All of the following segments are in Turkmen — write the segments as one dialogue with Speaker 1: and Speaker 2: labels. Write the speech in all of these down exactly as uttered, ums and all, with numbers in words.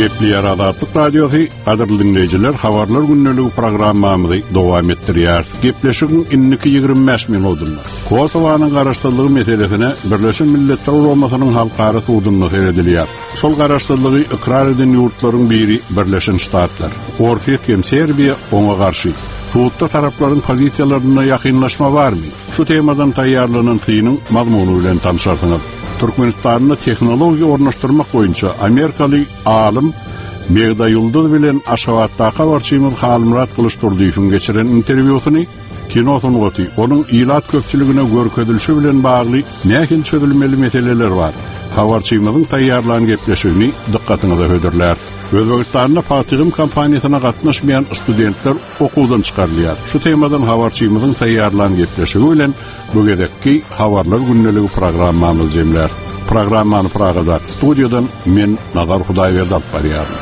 Speaker 1: Gepleýär Azatlyk Radiosy, gadyrly dinleýjiler, habarlar gündeligi programmamyzy dowam etdirýär. Gepleşigiň indiki ýigrimi bäş minutynda Kosowanyň garaşsyzlygy meselesine Birleşen Milletler Guramasynyň halkara sudunda seredilýär. Şol garaşsyzlygy ykrar eden ýurtlaryň biri Birleşen Ştatlar. Orsýet hem Serbiýa oňa garşy. Sudda taraplaryň pozisiýalarynda ýakynlaşma barmy? Şu temadan taýýarlanan synyň mazmuny bilen tanışarsyňyz. Türkmenistanda tehnologiýa ornaşdyrmak boýunça Amerikaly alym Begda Ýulduz bilen Aşgabatdaky habarçymyz Halmyrat Gylyçdurdyýewiň geçiren interwýusyny, kino sungaty, onuň ilat köpçüligine görkezilişi bilen bagly nähili çözülmeli meseleler bar? Habarçymyzyň taýýarlan gepleşigini dykgatyňyza hödürläris. Özbegistanda Fatihim kompaniýasyna gatnaşmaýan studentler okuwdan çykarylýar. Şu temadan habarçymyzyň taýýarlan gepleşigi bilen bu gezekki habarlar gündeligi programmamyz jemlär. Programmany Pragadaky studiýadan men Nazar Hudaýberdi alyp barýaryn.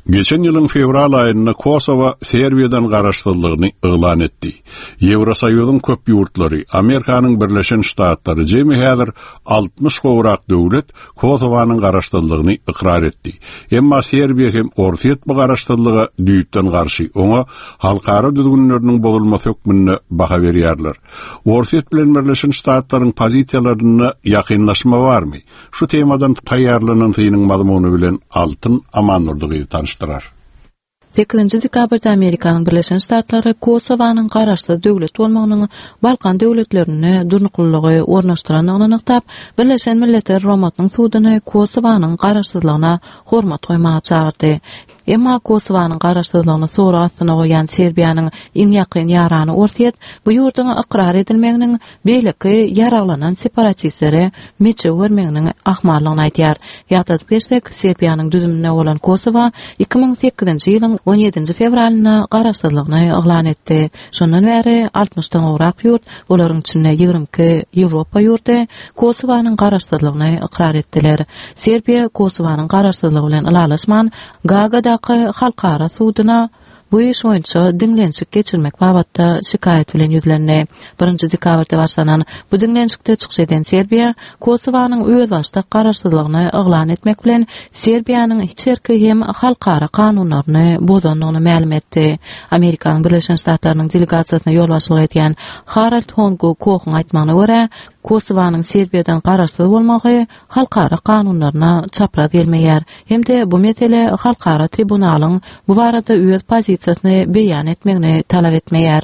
Speaker 1: Geçen ýylyň fewral aýynda Kosowa Serbiýadan garaşsyzlygyny yglan etdi. Ýewrosoýuzyň köp ýurtlary, Amerikanyň Birleşen Ştatlary jemi häzir altmyş gowrak döwlet Kosowanyň garaşsyzlygyny ykrar etdi. Emma Serbiýa hem Orsýet bu garaşsyzlyga düýpden garşy, oňa halkara düzgünleriniň bozulmasy hökmünde baha berýärler. Orsýet bilen Birleşen Ştatlaryň pozisiýalarynda ýakynlaşma barmy? Şu temadan taýýarlanan synyň mazmuny bilen Altyn Amandurdygy tanışdyrar.
Speaker 2: Sekizinji dekabrda Amerikanyň Birleşen Ştatlary Kosowanyň garaşsyz döwlet bolmagynyň Balkan döwletlerine durnuklylygy ornaşdyrandygyny nygtap, Birleşen Milletler Guramasynyň suduny Kosowanyň garaşsyzlygyna hormat goýmaga çagyrdy. Emma Kosowanyň garaşsyzlygyny sorag astyna goýan Serbiýanyň iň ýakyn ýarany Orsýet bu ýurduň ykrar edilmeginiň beýleki ýaraglanan separatistlere meçew bermeginiň ahmallygyny aýdýar. Ýatladyp geçsek, Serbiýanyň düzüminde bolan Kosowa iki müň sekizinji ýylyň on ýedinji fewralynda garaşsyzlygyny yglan etdi. Şondan bäri altmyşdan gowrak ýurt, olaryň içinde ýigrimi iki Ýewropa ýurdy Kosowanyň garaşsyzlygyny ykrar etdiler. Serbiýa Kosowanyň garaşsyzlygy bilen ylalaşman, Gagadaky halkara suduna bu iş boýunça diňlenişik geçirmek babatda şikaýat bilen ýüzlendi. Birinji dekabrda başlanan bu diňlenişikde çykyş eden Serbiýa Kosowanyň özbaşdak garaşsyzlygyny yglan etmek bilen Serbiýanyň içerki hem halkara kanunlaryny bozandygyny mälim etdi. Amerikanyň Birleşen Ştatlarynyň delegasiýasyna ýolbaşçylyk edýän Harald Hongo Kohyň aýtmagyna görä, Kosowanyň Serbiýadan garaşsyz bolmagy halkara kanunlaryna çapraz gelmeýär. Hem-de bu mesele halkara tribunalyň bu barada öz pozisiýasyny beýan etmegini talap etmeýär.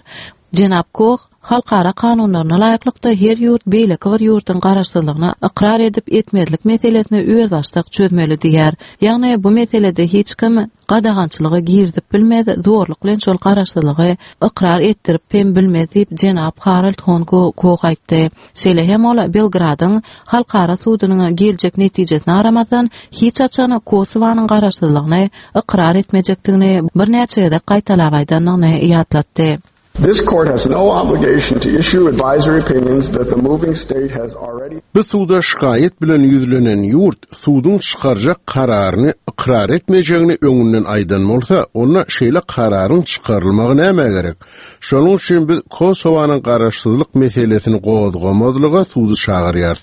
Speaker 2: Jenap Koh, halkara kanunlaryna laýyklykda her ýurt beýleki bir ýurduň garaşsyzlygyny ykrar edip etmezlik meselesini özbaşdak çözmeli diýär. Ýagny bu meselede hiç kim gadagançylygy girizip bilmez, zorluk bilen şol garaşsyzlygy ykrar etdirip hem bilmez diýip Jenap Harald Hongo Koh aýtdy. Şeýle hem ol Belgradyň halkara sudunyň geljek netijesine garamazdan hiç haçan Kosowanyň garaşsyzlygyny ykrar etmejekdigini birnäçe gezek gaýtalap aýdandygyny ýatlatdy.
Speaker 3: This court has no obligation to issue advisory opinions that the moving state has already
Speaker 4: Bu suda şikayet bilen ýüzlenen ýurt suduň çykarjak kararyny ykrar etmejegini öňünden aýdan bolsa, onda şeýle kararyň çykarylmagy näme gerek? Şonuň üçin biz Kosowanyň garaşsyzlyk meselesini gozgamazlyga sudy çagyrýarys.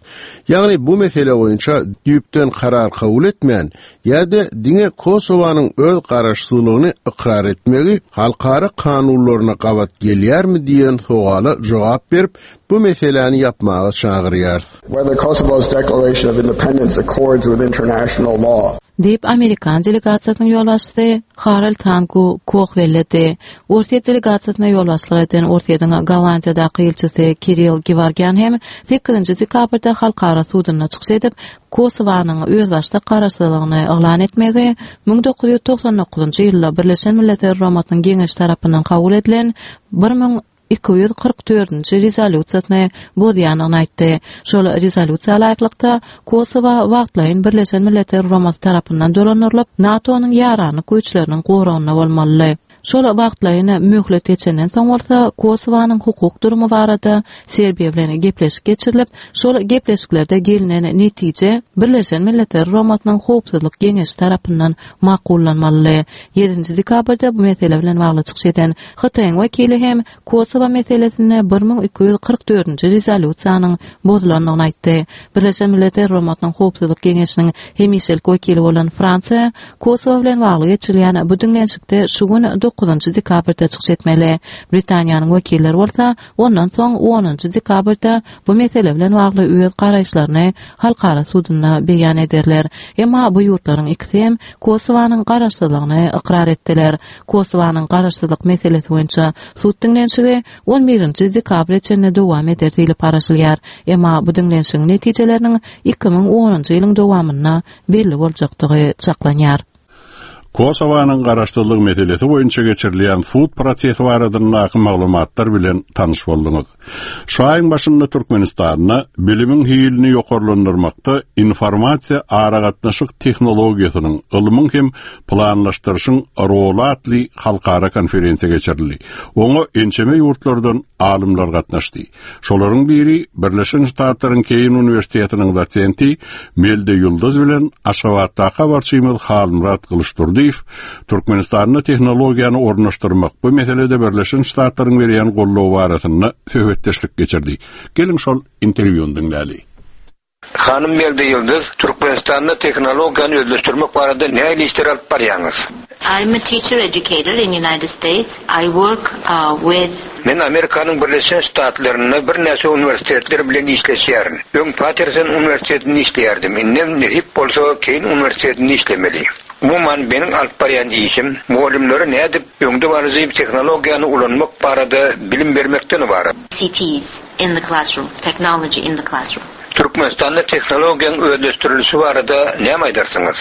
Speaker 4: Ýagny bu mesele boýunça düýpden karar kabul etmän, ýa-da diňe Kosowanyň öz garaşsyzlygyny ykrar etmegi halkara kanunlaryna gabat gelýärmi diýen sowala jogap berip, bu meseläni ýapmaga çagyrýarys.
Speaker 3: Whether Kosovo's declaration of independence accords with international law.
Speaker 2: Diýip Amerikan delegasiýasynyň ýolbaşçysy Harald Hanku Koh belledi. Orsýet delegasiýasyna ýolbaşçylyk eden Orsýetiň Gollandiýadaky ilçisi Kirill Gevorgyan hem sekizinji dekabrda halkara sudunda çykyş edip, Kosowanyň özbaşdak garaşsyzlygyny yglan etmegi müň dokuz ýüz togsan dokuzynjy ýylda Birleşen Milletler Guramasynyň Geňeşi tarapyndan kabul edilen bir müň iki ýüz kyrk dördünji rezolýusiýasyny bozýandygyny aýtdy. Şol rezolýusiýa laýyklykda Kosowa wagtlaýyn Birleşen Milletler Guramasy tarapyndan dolandyrylyp, NATO-nyň ýaranlyk güýçleriniň goragynda bolmalydy. Şol wagtlaýyn möhlet geçenden soň bolsa Kosowanyň hukuk durumy barada Serbiýa bilen gepleşik geçirilip, şol gepleşiklerde gelinen netije Birleşen Milletler Guramasynyň Howpsuzlyk Geňeşi tarapyndan makullanmaly. ýedinji dekabrda bu mesele bilen bagly çykyş eden Hytaýyň wekili hem Kosowa meselesinde bir müň iki ýüz kyrk dördünji rezolýusiýanyň bozulandygyny aýtdy. Birleşen Milletler Guramasynyň Howpsuzlyk Geňeşiniň hemişelik wekili bolan Fransiýa Kosowa bilen bagly geçirilýän bu diňlenişikde şu gün dokuzynjy dekabrda çykyş etmeli. Britaniýanyň wekilleri bolsa ondan soň onunjy dekabrda bu mesele bilen bagly öz garaýyşlaryny halkara sudunda beýan ederler. Emma bu ýurtlaryň ikisi hem Kosowanyň garaşsyzlygyny ykrar etdiler. Kosowanyň garaşsyzlyk meselesi boýunça sud diňlenişigi on birinji dekabra çenli dowam eder diýlip garaşylýar. Emma bu diňlenişigiň netijeleriniň iki müň onunjy ýylyň dowamynda belli boljakdygy çaklanýar.
Speaker 1: Kosowanyň garaşsyzlyk meselesi boýunça geçirilýän sud prosesi baradaky maglumatlar bilen tanyş bolduňyz. Şu aýyň başynda Türkmenistanda bilimiň hilini ýokarlandyrmakda informasiýa aragatnaşyk tehnologiýasynyň, ylmyň hem planlaşdyryşyň roly atly halkara konferensiýa geçirildi. Oňa ençeme ýurtlardan alymlar gatnaşdy. Şolaryň biri Birleşen Ştatlaryň Keýn Uniwersitetiniň dosenti Melde Ýyldyz bilen Aşgabatdaky habarçymyz Halmyrat Gylyçdurdyýew Türkmenistanda tehnologiýany ornaşdyrmak bu meselede Birleşen Ştatlaryň berýän goldawy barasynda söhbetdeşlik geçirdi. Geliň şol interwýuny diňläli.
Speaker 5: Hanym Melde Ýyldyz, Türkmenistanda tehnologiýany özleşdirmek barada nähili işler alyp barýaňyz?
Speaker 6: I'm a teacher educator in United States. I work, uh, with
Speaker 5: Men Amerikanyň Birleşen Ştatlarynda birnäçe uniwersitetler bilen işleşýärin. Öň Patterson uniwersitetinde işleýärdim. Indem nesip bolsa Keýn uniwersitetinde işlemeli. Umuman meniň alyp barýan işim mugallymlara nädip öňde baryjy tehnologiýany ulanmak barada bilim bermekden ibarat.
Speaker 6: I C Ts in the classroom, technology in the classroom.
Speaker 5: Türkmenistanda tehnologiýanyň özleşdirilişi barada näme aýdarsyňyz?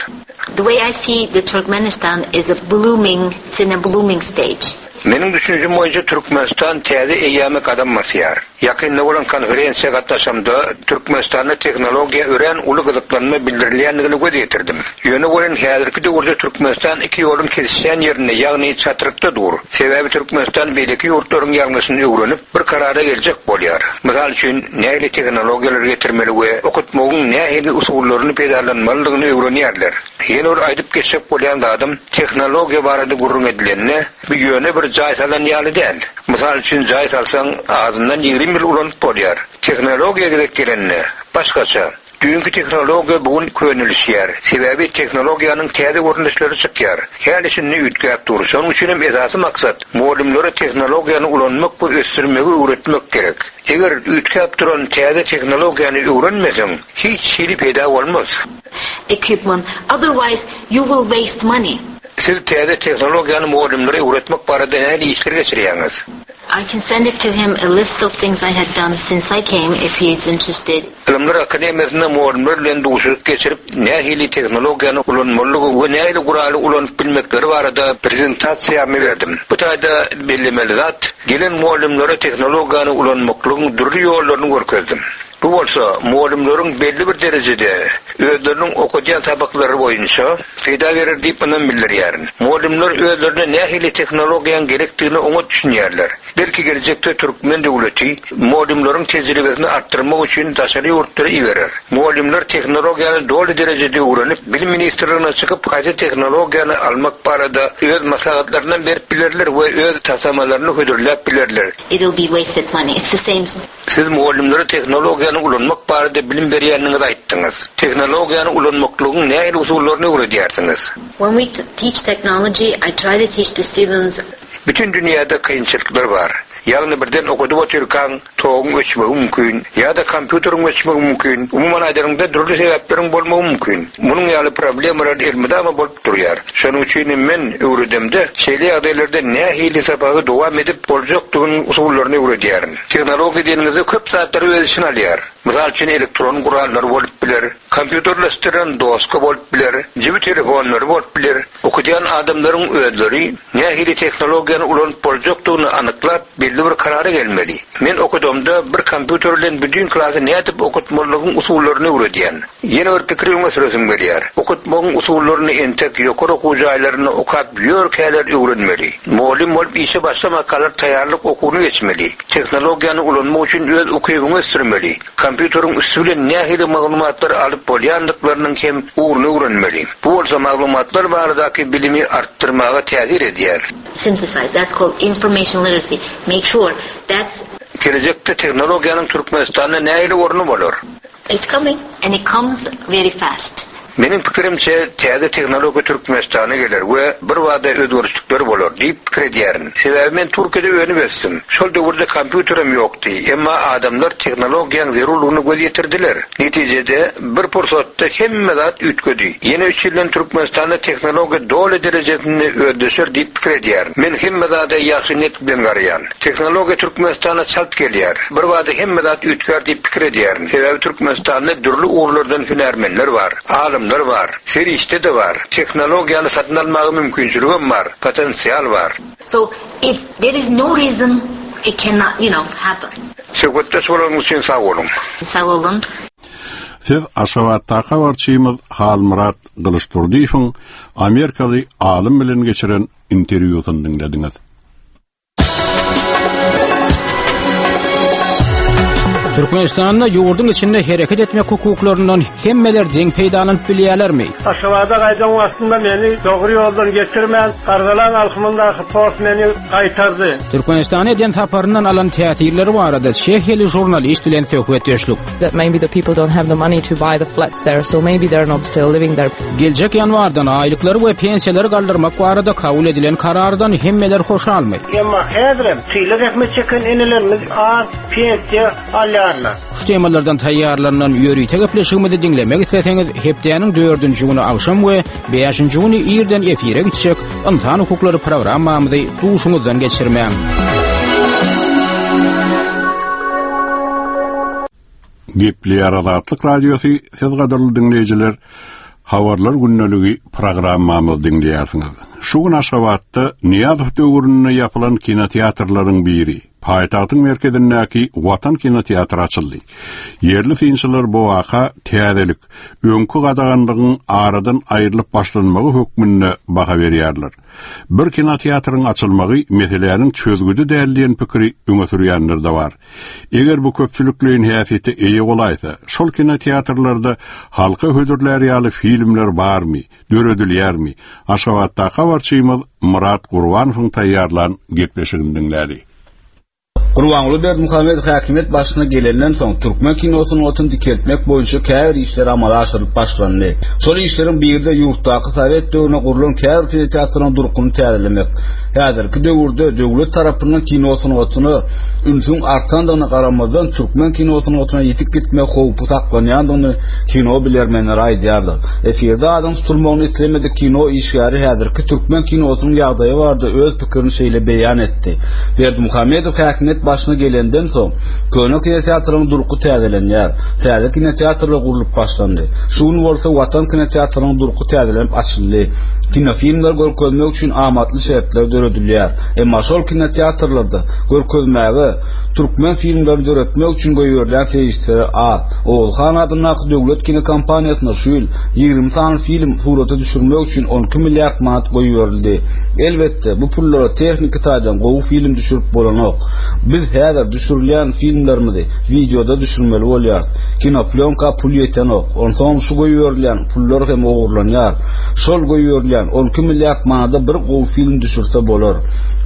Speaker 6: The way I see the Turkmenistan is a blooming, it's in a blooming stage.
Speaker 5: Meniň düşünjim boýunça Türkmenistan täze eýýäme gadam basýar. Ýakynda bolan konferensiýa gatnaşamda Türkmenistanda tehnologiýa örän uly gyzyklanma bildirilýändigini göz ýetirdim. Ýöne bolan häzirki döwürde Türkmenistan iki ýoluň kesişýän ýerinde, ýagny çatrykda dur. Sebäbi Türkmenistan beýleki ýurtlaryň ýalňyşyny öwrenip, bir karara geljek bolýar. Mysal üçin, nähili tehnologiýalary getirmeli we okutmagyň nähili usullaryny peýdalanmalydygyny öwrenýärler. Ýene bir aýdyp geçjek bolýan zadym, tehnologiýa barada gürrüň edilende, bu ýöne bir jaý salan ýaly däl. Mysal üçin, jaý salsaň, azyndan ýigrimi ýyl ulanyp bolýar. Tehnologiýa gezek gelende, başgaça. Düýnki tehnologiýa bu gün könelişýär. Sebäbi tehnologiýanyň täze görnüşleri çykýar. Häli şindi üýtgäp dur. Şonuň üçin hem esasy maksat mugallymlara tehnologiýany ulanmak we ösdürmegi öwretmek gerek. Eger üýtgäp duran täze tehnologiýany öwrenmeseň, hiç hili peýda bolmaz.
Speaker 6: Equipment, otherwise you will waste money.
Speaker 5: Siz täze tehnologiýany mugallymlara öwretmek barada nähili işler geçirýäňiz?
Speaker 6: I can send it to him a list of things I had done since I came if he is interested.
Speaker 5: Ylymlar Akademiýasynda mugallymlar bilen duşuşyk geçirip, nähili tehnologiýany ulanmalydygy we nähili guraly ulanyp bilmekleri barada prezentasiýamy berdim. Bu taýda bellemeli zat, gelen mugallymlara tehnologiýany ulanmaklygyň dürli ýollaryny görkezdim. Bu bolsa mugallymlaryň belli bir derejede özleriniň okadýan sapaklary boýunça peýda berer diýip ynam bildirýärin. Mugallymlar özlerine nähili tehnologiýanyň gerekdigini oňat düşünýärler. Belki geljekde Türkmen döwleti mugallymlaryň tejribesini artdyrmak üçin daşary ýurtlara iberer. Mugallymlar tehnologiýany doly derejede öwrenip, bilim ministrligine çykyp haýsy tehnologiýany almak barada öz maslahatlaryndan berip bilerler we öz taslamalaryny hödürläp bilerler.
Speaker 6: It will be wasted money. It's the same.
Speaker 5: Siz mugallymlara tehnologiýany ulanmak barada bilim berýäniňizi aýtdyňyz. Tehnologiýany ulanmaklygyň nähili usullaryny öwredýärsiňiz?
Speaker 6: When we teach technology, I try to teach the students.
Speaker 5: Bütün dünýäde kynçylyklar bar. Ýagny birden okudyp otyrkaň toguň öçmegi mümkin ýa-da kompýuteriň öçmegi mümkin. Umuman aýdanyňda dürli sebäpleriň bolmagy mümkin. Munuň ýaly problemalar elmydama bolup durýar. Şonuň üçin men öwredemde şeýle ýagdaýlarda nähili sapagy dowam edip boljakdygynyň usullaryny öwredýärin. Tehnologiýa diýeniňizde köp zatlary öz içine alýar. Mysal üçin elektron gurallar bolup biler, kompýuterleşdirilen doska bolup biler, jübi telefonlary bolup biler. Okudýan adamlaryň özleri nähili tehnologiýany ulanyp boljakdygyny anyklap belli bir karara gelmeli. Men okudamda bir kompýuter bilen bütün klasy nädip okutmalygyň usullaryny öwredýän. Ýene bir pikir öňe süresim gelýär. Okutmagyň usullaryny entek ýokary okuw jaýlarynda okap ýörkäler öwrenmeli. Mugallym bolup işe başlamakalar taýýarlyk okuwyny geçmeli. Tehnologiýany ulanmak üçin öz ukybyňy ösdürmeli. Kompýuteriň üstü bilen nähili maglumatlar alyp bolýandyklarynyň hem ugruny öwrenmeli. Bu bolsa maglumatlar baradaky bilimi artdyrmaga täsir edýär.
Speaker 6: Synthesize. That's called information literacy. Make sure that's
Speaker 5: Gelejekde tehnologiýanyň Türkmenistanda nähili orny bolar?
Speaker 6: it's coming and it comes very fast.
Speaker 5: Meniň pikirimçe täze tehnologiýa Türkmenistana geler we bir wada özgerişlikler bolar diýip pikir edýärin. Sebäbi men Türkiýede önüp ösdüm. Şol döwürde kompýuterim ýokdy. Emma adamlar tehnologiýanyň zerurlygyny göz ýetirdiler. Netijede bir pursatda hemme zat üýtgedi. Ýene üç ýyldan Türkmenistanda tehnologiýa doly derejesinde özleşer diýip pikir edýärin. Men hemme zada ýagşy niýet bilen garaýan. Tehnologiýa Türkmenistana çalt gelýär. Bir wada hemme zat üýtgär diýip pikir edýärin. Sebäbi Türkmenistanda dürli ugurlardan hünärmenler bar, alymlar bar, serişde de bar. Tehnologiýany satyn almaga mümkinçiligem bar, potensial bar.
Speaker 6: So if there is no reason it cannot, you know, happen.
Speaker 5: Söhbetdeş bolanyňyz üçin sag boluň.
Speaker 6: Sag bolun.
Speaker 1: Siz Aşgabatdaky habarçymyz Halmyrat Gylyçdurdyýewiň Amerikaly alym bilen geçiren interwýusyny diňlediňiz.
Speaker 7: Türkmenistanda ýurduň içinde hereket etmek hukuklaryndan hemmeler deň peýdalanyp bilýärlermi?
Speaker 8: Aşgabada gaýdan wagtynda meni dogry ýoldan geçirmän, Gardalan alkymyndaky post meni gaýtardy.
Speaker 7: Türkmenistana eden saparyndan alan täsirleri barada Çehiýaly žurnalist bilen söhbetdeşlik.
Speaker 9: that maybe the people don't have the money to buy the flats there, so maybe they're not still living there.
Speaker 7: Geljek ýanwardan aýlyklary we pensiýalary galdyrmak barada kabul edilen karardan hemmeler hoşalmy?
Speaker 8: Emma häzirem çile zähmet çeken enelerimiz az pensiýa alýarlar.
Speaker 7: Şu temalardan taýýarlanan ýörite gepleşigimizi diňlemek isleseňiz, hepdäniň dördünji güni agşam we beşinji güni irden efire gitjek Ynsan hukuklary programmamyzy duşuňyzdan geçirmäň.
Speaker 1: Gepleýär Azatlyk Radiosy, siz gadyrly diňleýjiler, Habarlar gündeligi programmamyzy diňleýärsiňiz. Şu gün Aşgabatda Nyýazow döwründe ýapylan kinoteatrlaryň biri, paýtagtyň merkezindäki Watan kinoteatry açyldy. Ýerli synçylar bu waka täzelik, öňki gadaganlygyň aradan aýrylyp başlanmagy hökmünde baha berýärler. Bir kinoteatryň açylmagy meseläniň çözgüdi däl diýen pikiri öňe sürýänler de bar. Eger bu köpçülikleýin häsiýete eýe bolaýsa, şol kinoteatrlarda halka hödürler ýaly filmler barmy, döredilýärmi? Aşgabatdaky habarçymyz Murat Gurbanowyň taýýarlan gepleşigini diňläli.
Speaker 10: Gurbanguly Berdimuhamedow häkimiýet başyna gelenden soň türkmen kino sungatyny dikeltmek boýunça käbir işler amala aşyrylyp başlandy. Şol işleriň biri-de ýurtdaky Sowet döwründe gurlan käbir kinoteatrlaryň durkuny täzelemek. Häzirki döwürde döwlet tarapyndan kino sungatyna ünsüň artandygyna garamazdan türkmen kino sungatyna ýetip gitmek howpy saklanýandygyny kino bilermenleri aýdýarlar. Efirde adyň tutulmagyny islemedik kino işgäri häzirki türkmen kinosynyň ýagdaýy barada öz pikirini şeýle beýan etdi. Berdimuhamedow häkimiýet başyna gelenden soň köne kinoteatryň durky täzelenýär. Täze kinoteatrlar gurlup başlandy. Şu gün bolsa Watan kinoteatrynyň durky täzelenip açyldy. Kinofilmler görkezmek üçin amatly şertler döredilýär. Emma şol kinoteatrlarda görkezmäge türkmen filmlerini döretmek üçin goýberilýän serişdeler az. Oguzhan adyndaky döwlet kinokompaniýasyna şu ýyl ýigrimi sany film surata düşürmek üçin on iki milliard manat goýberildi. Elbetde bu pullara tehniki taýdan gowy film düşürip bolanok. Biz häzir düşürilýän filmlerimizi videoda düşürmeli bolýarys. Kinoplýonka pul ýetenok. Onsoň şu goýberilýän pullar hem ogurlanýar. Şol goýberilýän on iki milliard manada bir gowy film düşürse bolar.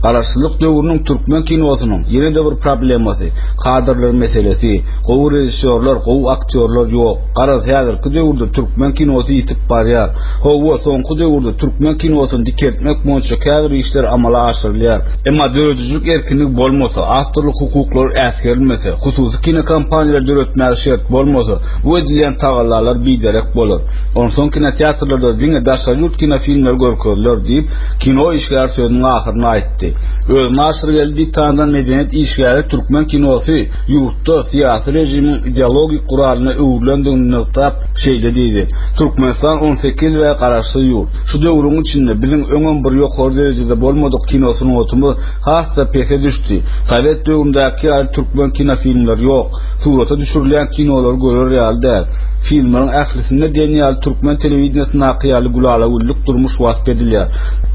Speaker 10: Garaşsyzlyk döwrüniň türkmen kinosynyň ýene-de bir problemasy kadrlar meselesi. Gowy režissýorlar, gowy aktýorlar ýok. Garaz häzirki döwürde türkmen kinosy ýitip barýar. Hawa, soňky döwürde türkmen kinosyny dikeltmek boýunça käbir işler amala aşyrylýar. Emma döredijilik erkinligi bolmasa, awtorlyk hukuklary äsgerilmese, hususy kinokompaniýalar döretmäge şert bolmasa, bu edilýän tagallalar biderek bolar. Onsoň kinoteatrlarda diňe daşary ýurt kinofilmleri görkeziler diýip, kino işgäri sözüniň ahyrynda aýtdy. Özüni Aşyrgeldi diýip tanydan medeniýet işgäri türkmen kinosy ýurtda syýasy režimiň ideologik guralyna öwrülendigini nygtap şeýle diýdi. Türkmenistan on sekiz we garaşsyz ýurt. Şu döwrüň içinde biziň öňem bir ýokary derejede bolmadyk kino sungatymyz has-da pese düşdi. Sowet döwründäki ýaly türkmen kinofilmleri ýok. Surata düşürilýän kinolary görer ýaly däl. Filmleriň ählisinde diýen ýaly türkmen telewideniýesindäki ýaly gülala-güllük durmuş wasp edilýär.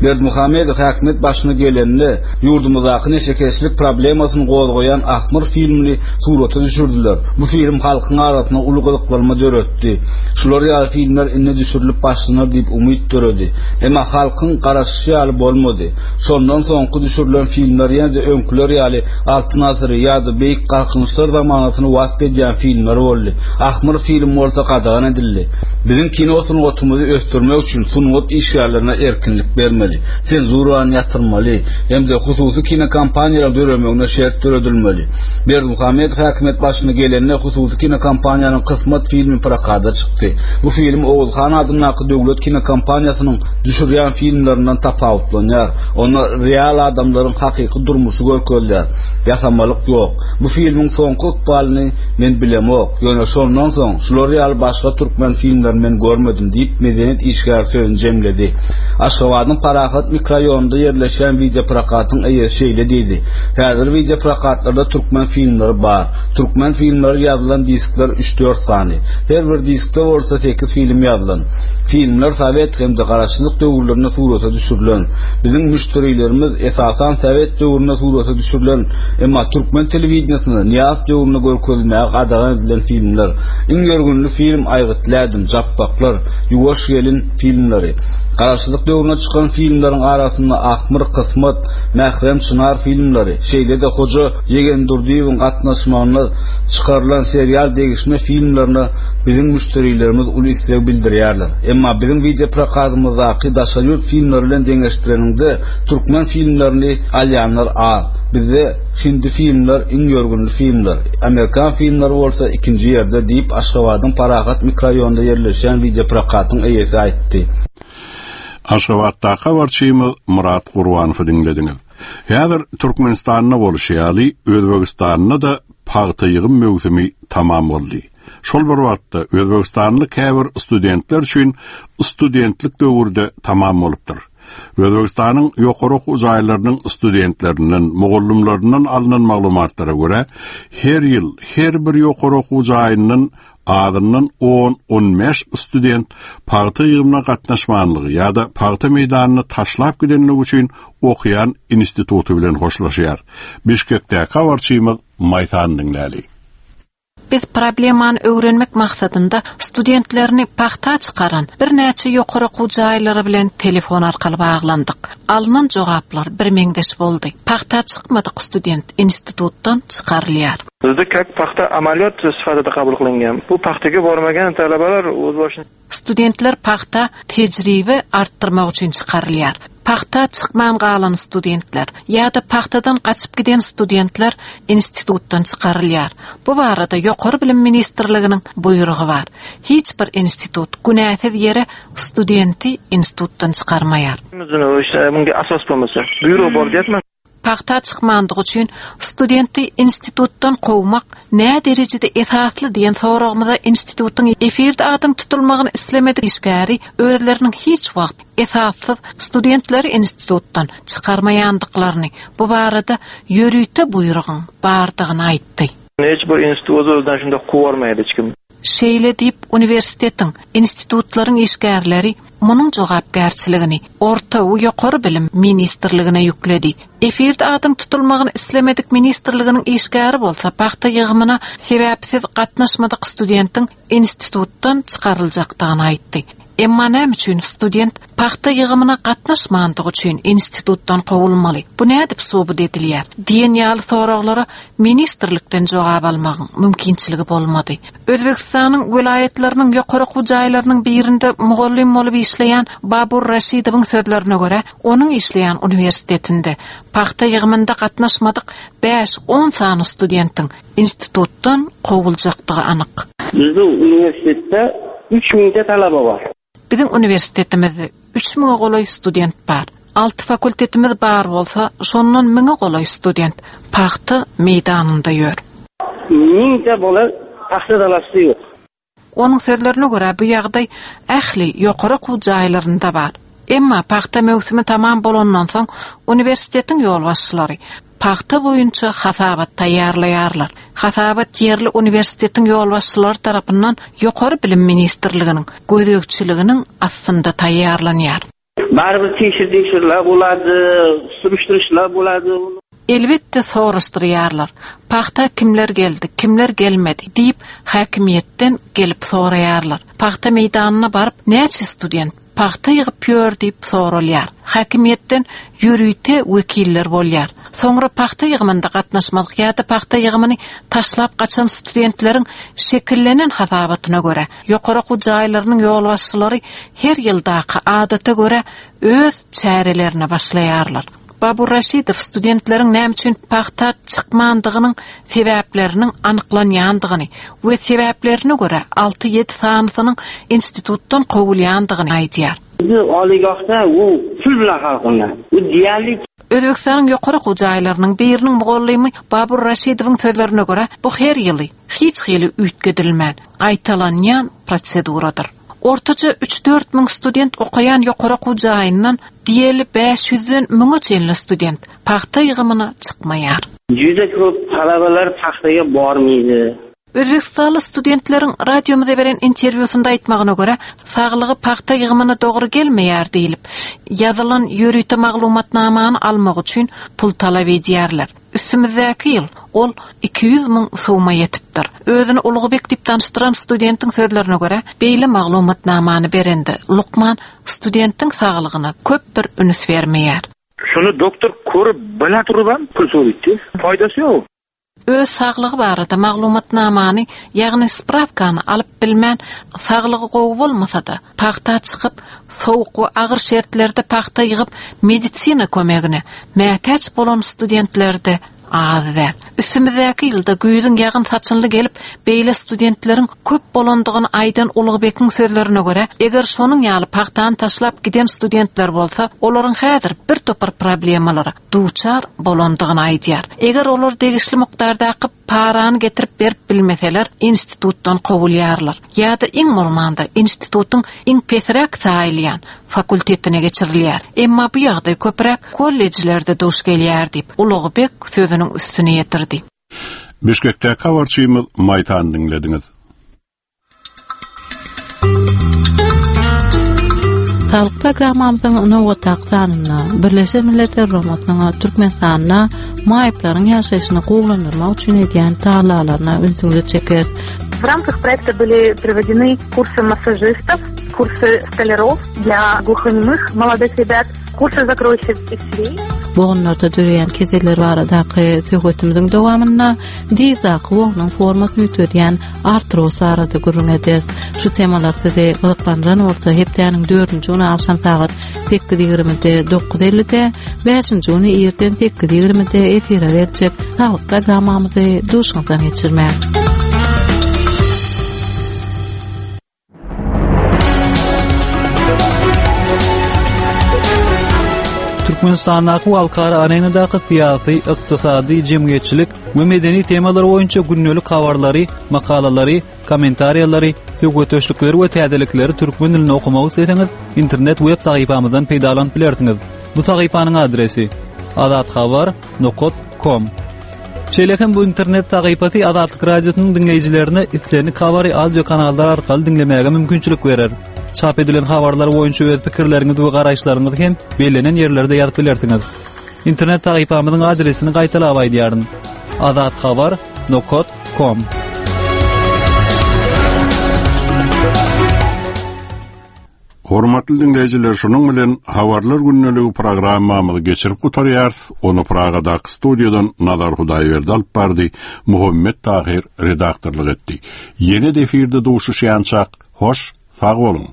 Speaker 10: Berdimuhamedow häkimiýet başyna gelende ýurdumyzdaky neşekeşlik problemasyny gozgaýan Ahmyr filmini surata düşürdiler. Bu film halkyň arasynda uly gyzyklanma döretdi. Şular ýaly filmler indi düşürilip başlanar diýip umyt döredi. Emma halkyň garaşyşy ýaly bolmady. Şondan soňky düşürilen filmler ýene-de öňküler ýaly Altyn asyry ýa-da Beýik Galkynyşlar zamanasyny wasp edýän filmler boldy. Ahmyr film bolsa gadagan edildi. Biziň kino sungatymyzy ösdürmek üçin sungat işgärlerine erkinlik bermeli, senzurany ýatyrmaly hem-de hususy kinokompaniýalaryň döremegine şert döredilmeli. Berdimuhamedow häkimiýet başyna gelende hususy kinokompaniýanyň Kysmat filmi prokada çykdy. Bu film Oguzhan adyndaky döwlet kinokompaniýasynyň düşürýän filmlerinden tapawutlanýar. Onda real adamlaryň hakyky durmuşy görkezilýär. Ýasamalyk ýok. Bu filmiň soňky ykbalyny men bilemok. Ýöne şondan soň şular ýaly başga türkmen filmlerini men görmedim diýip, medeniýet işgäri sözüni jemledi. Aşgabadyň Parahat mikroraýonynda ýerleşýän wideoprokatyň eýesi şeýle diýdi. Häzir wideoprokatlarda türkmen filmleri bar. Türkmen filmleri ýazylan diskler üç-dört sany. Her bir diskde bolsa sekiz film ýazylan. Filmler sowet hem-de garaşsyzlyk döwürlerinde surata düşürilen. Biziň müşderilerimiz esasan sowet döwründe surata düşürilen, emma türkmen telewideniýesinde Nyýazow döwründe görkezilmäge gadagan edilen filmler. Iň ýörgünli film Aýgytly ädim, Japbaklar, Ýuwaş gelin filmleri. Garaşsyzlyk döwründe çykan filmleriň arasynda Ahmyr, Kysmat, Mährem Çynar filmleri, şeýle-de Hoja Ýegendurdyýewiň gatnaşmagynda çykarylan serial degişme filmlerine biziň müşderilerimiz uly isleg bildirýärler. Emma biziň wideoprokatymyzdaky daşary ýurt filmleri bilen deňeşdireniňde türkmen filmlerini alýanlar az. Bizde hindi filmler iň ýörgünli filmler, amerikan filmleri bolsa ikinji ýerde diýip, Aşgabadyň Parahat mikroraýonynda ýerleşýän wideoprokatyň eýesi aýtdy.
Speaker 1: Aşgabatdaky habarçymyz Murat Gurbanowy diňlediňiz. Häzir Türkmenistanda bolşy ýaly, Özbegistanda-da pagta ýygym möwsümi tamam boldy. Şol bir wagtda Özbegistanly käbir studentler üçin studentlik döwürde tamam bolupdyr. Özbegistanyň ýokary okuw jaýlarynyň studentlerinden, mugallymlaryndan alnan maglumatlara görä, her ýyl her bir ýokary okuw jaýyndan azyndan on, on bäş student pagta ýygymyna gatnaşmanlygy ýa-da pagta meýdanyny taşlap gidenligi üçin okuýan instituty bilen hoşlaşýar. Bişkekdäki habarçymyz Maýsan diňläli.
Speaker 11: Biz problemany öwrenmek maksadynda studentlerini pagta çykaran birnäçe ýokary okuw jaýlary bilen telefon arkaly baglandyk. Alynan jogaplar bir meňzeş boldy. Pagta çykmadyk student institutdan çykarylýar.
Speaker 12: Bizde kak paxta amaliyot sifatida qabul qilingan. Bu paxtaga bormagan talabalar o'z boshini
Speaker 11: Studentler paxta tejribe artdyrmak üçin çykarylýar. Paxta çykman galan studentler ýa-da paxtadan gaçyp giden studentler institutdan çykarylýar. Bu barada Ýokary Bilim Ministrliginiň buýrugy bar. Hiç bir institut günäsiz ýere studenti institutdan çykarmaýar.
Speaker 12: Bunga asos bo'lmasa, buyruq bor deyapman.
Speaker 11: Paxta çykmandygy üçin studenti institutdan kowmak nä derejede esasly diýen soragymyza institutyň efirde adyň tutulmagyny islemedik işgäri özleriniň hiç wagt esassyz studentleri institutdan çykarmaýandyklaryny, bu barada ýörite buýrugyň bardygyny aýtdy.
Speaker 12: Hiç bir institut öz-özünden şunda kowarmaýdy hiç kim.
Speaker 11: Şeýle diýip uniwersitetiň, institutlaryň işgärleri munuň jogapkärçiligini Orta we Ýokary Bilim Ministrligine ýükledi. Efirde adyň tutulmagyny islemedik ministrliginiň işgäri bolsa pagta ýygymyna sebäpsiz gatnaşmadyk studentiň institutdan çykaryljakdygyny aýtdy. Emma näme üçin student pagta ýygymyna gatnaşmandygy üçin institutdan kowulmaly? Bu nädip subut edilýär? Diýen ýaly soraglara ministrlikden jogap almagyň mümkinçiligi bolmady. Özbegistanyň welaýatlarynyň ýokary okuw jaýlarynyň birinde mugallym bolup işleýän Babur Raşidowyň sözlerine görä, onuň işleýän uniwersitetinde pagta ýygymynda gatnaşmadyk bäş on sany studentiň institutdan kowuljakdygy anyk.
Speaker 12: Bizde uniwersitetde üç müňde talaba bar.
Speaker 11: Biziň uniwersitetimizde üç müňe golaý student bar. Alty fakultetimiz bar bolsa, şondan müňe golaý student pagta meýdanynda ýör.
Speaker 13: Mingta bola paxta dalasida yo'q.
Speaker 11: Onuň sözlerine görä bu ýagdaý ähli ýokary okuw jaýlarynda bar. Emma pagta möwsümi tamam bolandan soň uniwersitetiň ýolbaşçylary pagta boýunça hasabat taýýarlaýarlar. Hasabat ýerli uniwersitetiň ýolbaşçylary tarapyndan Ýokary Bilim ministrliginiň gözegçiliginiň astynda taýýarlanýar.
Speaker 13: Baribir tekshir-tekshirlar bo'ladi, surishtirishlar bo'ladi.
Speaker 11: Elbetde soraşdyrýarlar. Pagta kimler geldi, kimler gelmedi diýip häkimiýetden gelip soraýarlar. Pagta meýdanyna baryp näçe student pagta ýygyp ýör diýip soralýar. Häkimiýetden ýörite wekiller bolýar. Soňra pagta ýygymynda gatnaşmadyk ýa-da pagta ýygymyny taşlap gaçan studentleriň şekillenen hasabatyna görä, ýokary okuw jaýlarynyň ýolbaşçylary her ýyldaky adata görä öz çärelerine başlaýarlar. Babur Raşidow studentleriň näme üçin pagta çykmandygynyň sebäpleriniň anyklanýandygyny we sebäplerine görä alty-ýedi sanysynyň institutdan kowulýandygyny aýdýar.
Speaker 13: Bizni oliygohda u pul bilan hal qilinadi. U deyarli
Speaker 11: Özbekistanyň ýokary okuw jaýlarynyň biriniň mugallymy Babur Raşidowyň sözlerine görä, bu her ýyly hiç hili üýtgedilmän gaýtalanýan proseduradyr. Ortaça üç-dört müň student okaýan ýokary okuw jaýyndan diýeli bäş ýüzden müňe çenli student pagta ýygymyna çykmaýar.
Speaker 13: Juda ko'p talabalar paxtaga bormaydi.
Speaker 11: Özbekistanly studentleriň radiomyza beren interwýusynda aýtmagyna görä, saglygy pagta ýygymyna dogry gelmeýär diýilip, ýazylan ýörite maglumatnamany almak üçin pul talap edýärler. Üstümizdäki ýyl ol iki ýüz müň suma ýetipdir. Özüni Ulugbek diýip tanyşdyran studentiň sözlerine görä, beýle maglumatnamany berende lukman studentiň saglygyna köp bir üns bermeýär.
Speaker 12: Şunu doktor ko'rib bila turib ham pul so'raydi. Foydasi yo'q.
Speaker 11: Öz saglygy barada maglumatnamany, ýagny spravkany alyp bilmän, saglygy gowy bolmasa-da, pagta çykyp, sowuk we agyr şertlerde pagta ýygyp medisina kömegine mätäç bolan studentlerde az däl. Üstümizdäki ýylda güýzüň ýagyn saçynly gelip, beýle studentleriň köp bolandygyny aýdan Ulugbekiň sözlerine görä, eger şonuň ýaly pagtany taşlap giden studentler bolsa, olaryň häzir bir topar problemalara duçar bolandygyny aýdýar. Eger olar degişli mukdardaky parany getirip berip bilmeseler, institutdan kowulýarlar. Ýa-da iň bolmanda institutyň iň pesräk saýylýan fakultetine geçirilýär. Emma bu ýagdaý köpräk kollejlerde duş gelýär diýip, Ulugbek sözüniň üstüne ýetirdi.
Speaker 1: Bişkekdäki habarçymyz Maýtan diňlediňiz.
Speaker 2: Saglyk programmamyzyň nobatdaky sanynda Birleşen Milletler Guramasynyň Türkmenistanda maýyplaryň ýaşaýşyny gowulandyrmak üçin edýän tagallalaryna ünsüňizi çekeris.
Speaker 14: В рамках проекта были проведены курсы массажистов, курсы столяров для глухонемых молодых ребят, курсы закройщиков и швей.
Speaker 2: Bogunlarda döreýän keseller baradaky söhbetimiziň dowamynda dizdaky bognuň formasyny üýtgedýän artroz barada gürrüň ederiz. Şu temalar sizi gyzyklandyran bolsa, hepdäniň dördünji güni agşam sagat sekiz ýigrimide dokuz ellide, bäşinji güni irden sekiz ýigrimide efire berjek saglyk programmamyzy duşuňyzdan geçirmäň.
Speaker 15: Türkmenistandaky halkara arenadaky syýasy, ykdysady, jemgyýetçilik we medeni temalar boýunça gündelik habarlary, makalalary, kommentariýalary, söhbetdeşlikleri we täzelikleri türkmen dilinde okumak isleseňiz, internet web sahypamyzdan peýdalanyp bilersiňiz. Bu sahypanyň adresi azathabar nokta com. Şeýle hem bu internet sahypasy Azatlyk Radiosynyň diňleýjilerine islendik habary audio kanallar arkaly diňlemäge mümkinçilik berer. Çap edilen habarlar boýunça öz pikirleriňizi we garaýyşlaryňyzy hem bellenen ýerlerde ýazyp bilersiňiz. Internet sahypamyzyň adresini gaýtalap aýdýaryn. azathabar nokta com.
Speaker 1: Hormatly dinleýjiler, şunuň bilen Habarlar gündeligi programmamyzy geçirip gutarýarys. Ony Pragadaky studiýadan Nazar Hudaýberdi alyp bardy, Muhammet Tahir redaktorlyk etdi. Ýene de efirde duşuşýançak, hoş, sag boluň.